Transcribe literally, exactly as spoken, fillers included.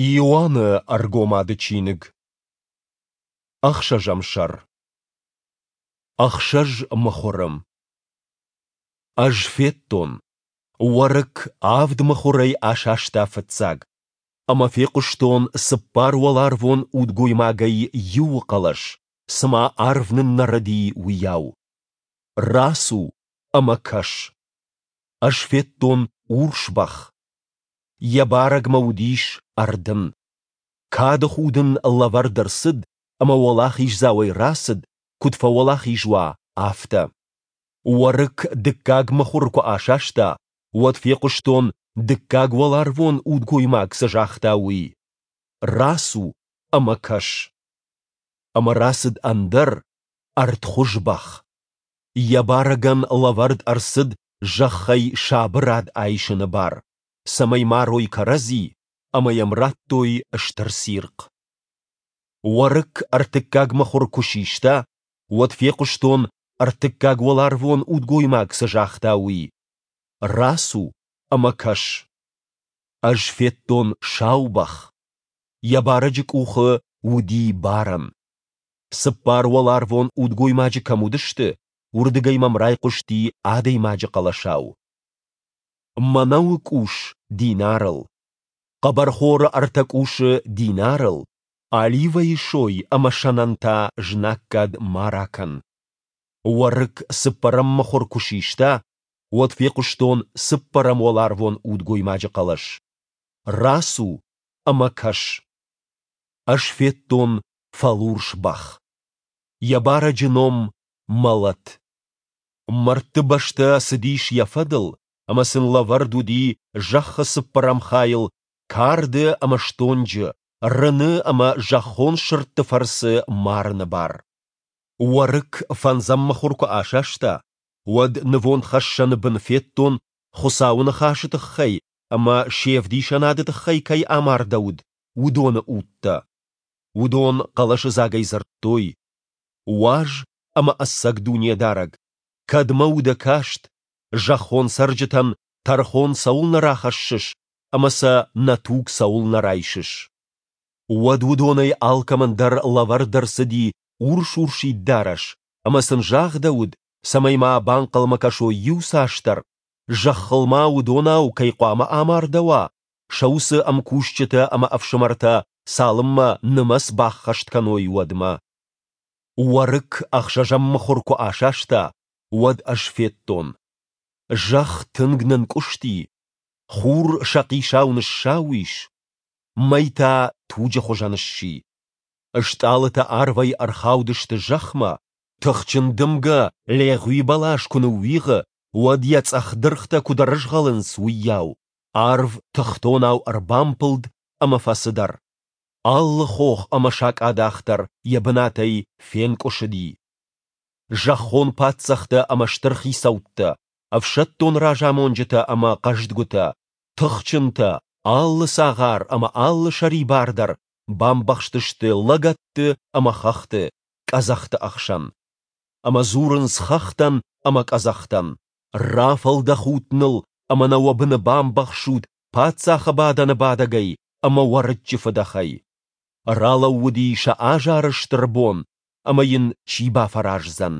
Иоанны Ӕргомады чиныг. Ӕхсӕзӕм сӕр. Ӕхсӕз мыхуыры. Ӕз федтон, Уӕрыкк авд мыхуырӕй асаста фыццаг, ӕмӕ фехъуыстон цыппар уӕларвон удгоймагӕй иуы хъӕлӕс, цыма арв ныннӕрыди, уыйау: Рацу ӕмӕ кӕс! Ӕз федтон урс бӕх. Йӕ барӕгмӕ уыдис ӕрдын. Кады худ ын лӕвӕрд ӕрцыд ӕмӕ уӕлахиздзауӕй рацыд, куыд фӕуӕлахиз уа, афтӕ. Уӕрыкк дыккаг мыхуыр куы асаста, уӕд фехъуыстон, дыккаг уӕларвон удгоймаг цы загъта, уый: Рацу ӕмӕ кӕс! Ӕмӕ рацыд ӕндӕр, ӕртхуыз бӕх. Йӕ барӕгӕн лӕвӕрд ӕрцыд зӕххӕй сабырад айсыны бар, цӕмӕй марой кӕрӕдзи, ӕмӕ йӕм радтой стыр цирхъ. Уӕрыкк ӕртыккаг мыхуыр куы систа, уӕд фехъуыстон, ӕртыккаг уӕларвон удгоймаг цы загъта, уый: Рацу ӕмӕ кӕс! Ӕз федтон сау бӕх. Йӕ барӕджы къухы уыди барӕн. Цыппар уӕларвон удгоймаджы кӕм уыдысты, уырдыгӕй мӕм райхъуысти адӕймаджы хъӕлӕсау: Мӕнӕуы къус динарыл, хъӕбӕрхоры ӕртӕ къусы динарыл, оливӕйы сой ӕмӕ сӕнӕн та знаггад ма ракӕн. Уӕрыкк цыппӕрӕм мыхуыр куы систа, уӕд фехъуыстон цыппӕрӕм уӕларвон удгоймаджы хъӕлӕс: Рацу ӕмӕ кӕс! Ӕз федтон фӕлурс бӕх. Йӕ барӕджы ном Мӕлӕт. Мӕрдты бӕстӕ цыдис йӕ фӕдыл, ӕмӕ сын лӕвӕрд уыди зӕххы цыппӕрӕм хайыл карды ӕмӕ стонджы, рыны ӕмӕ зӕххон сырдты фӕрцы марыны бар. Уӕрыкк фӕндзӕм мыхуыр куы асаста, уӕд нывондхӕссӕны бын федтон, Хуыцауы ныхасы тыххӕй ӕмӕ се вдисӕнады тыххӕй кӕй амардӕуыд, уыдоны удтӕ. Уыдон хъӕлӕсыдзагӕй дзырдтой: Уаз ӕмӕ ӕцӕг Дунедарӕг, кӕдмӕ у дӕ каст, зӕххон цӕрджытӕн тӕрхон цӕуылнӕ рахӕссыс ӕмӕ сӕ нӕ туг цӕуылнӕ райсыс? Уӕд уыдонӕй алкӕмӕн дӕр лӕвӕрд ӕрцыди урс-урсид дарӕс, ӕмӕ сын загъдӕуыд, цӕмӕй ма банхъӕлмӕ кӕсой иуцасдӕр, зӕххыл ма уыдонау кӕй хъуамӕ амардӕуа, сӕ уыцы ӕмкусджытӕ ӕмӕ ӕфсымӕртӕ цалынмӕ нымӕц баххӕст кӕной, уӕдмӕ. Уӕрыкк ӕхсӕзӕм мыхуыр куы асаста, уӕд ӕз федтон: зӕхх тынг нынкъуысти, хур сӕхъисау ныссау ис, мӕй та туджы хуызӕн сси. Стъалытӕ арвӕй ӕрхаудысты зӕхмӕ, тыхджын дымгӕ легъуи бӕлас куы ныууигъы, уӕд йӕ цъӕх дыргътӕ куыд ӕрызгъӕлынц, уыйау арв тыхтонау ӕрбампылд ӕмӕ фӕцыдӕр. Алы хох ӕмӕ сакъадах дӕр йӕ бынатӕй фенкъуысыди. Зӕххон паддзӕхтӕ ӕмӕ стыр хицӕуттӕ, ӕфсӕддон разамонджытӕ ӕмӕ хъӕздгуытӕ, тыхджынтӕ, алы цагъар ӕмӕ алы сӕрибар дӕр бамбӕхстысты лӕгӕтты ӕмӕ хӕхты, къӕдзӕхты ӕхсӕн. Ӕмӕ дзурынц хӕхтӕн ӕмӕ къӕдзӕхтӕн: Рафӕлдӕхут ныл ӕмӕ нӕ уӕ быны бамбӕхсут паддзахы бадӕны бадӕгӕй ӕмӕ Уӕрыччы фыдӕхӕй. Ралӕууыди сӕ азары стыр бон, ӕмӕ йын чи бафӕраздзӕн?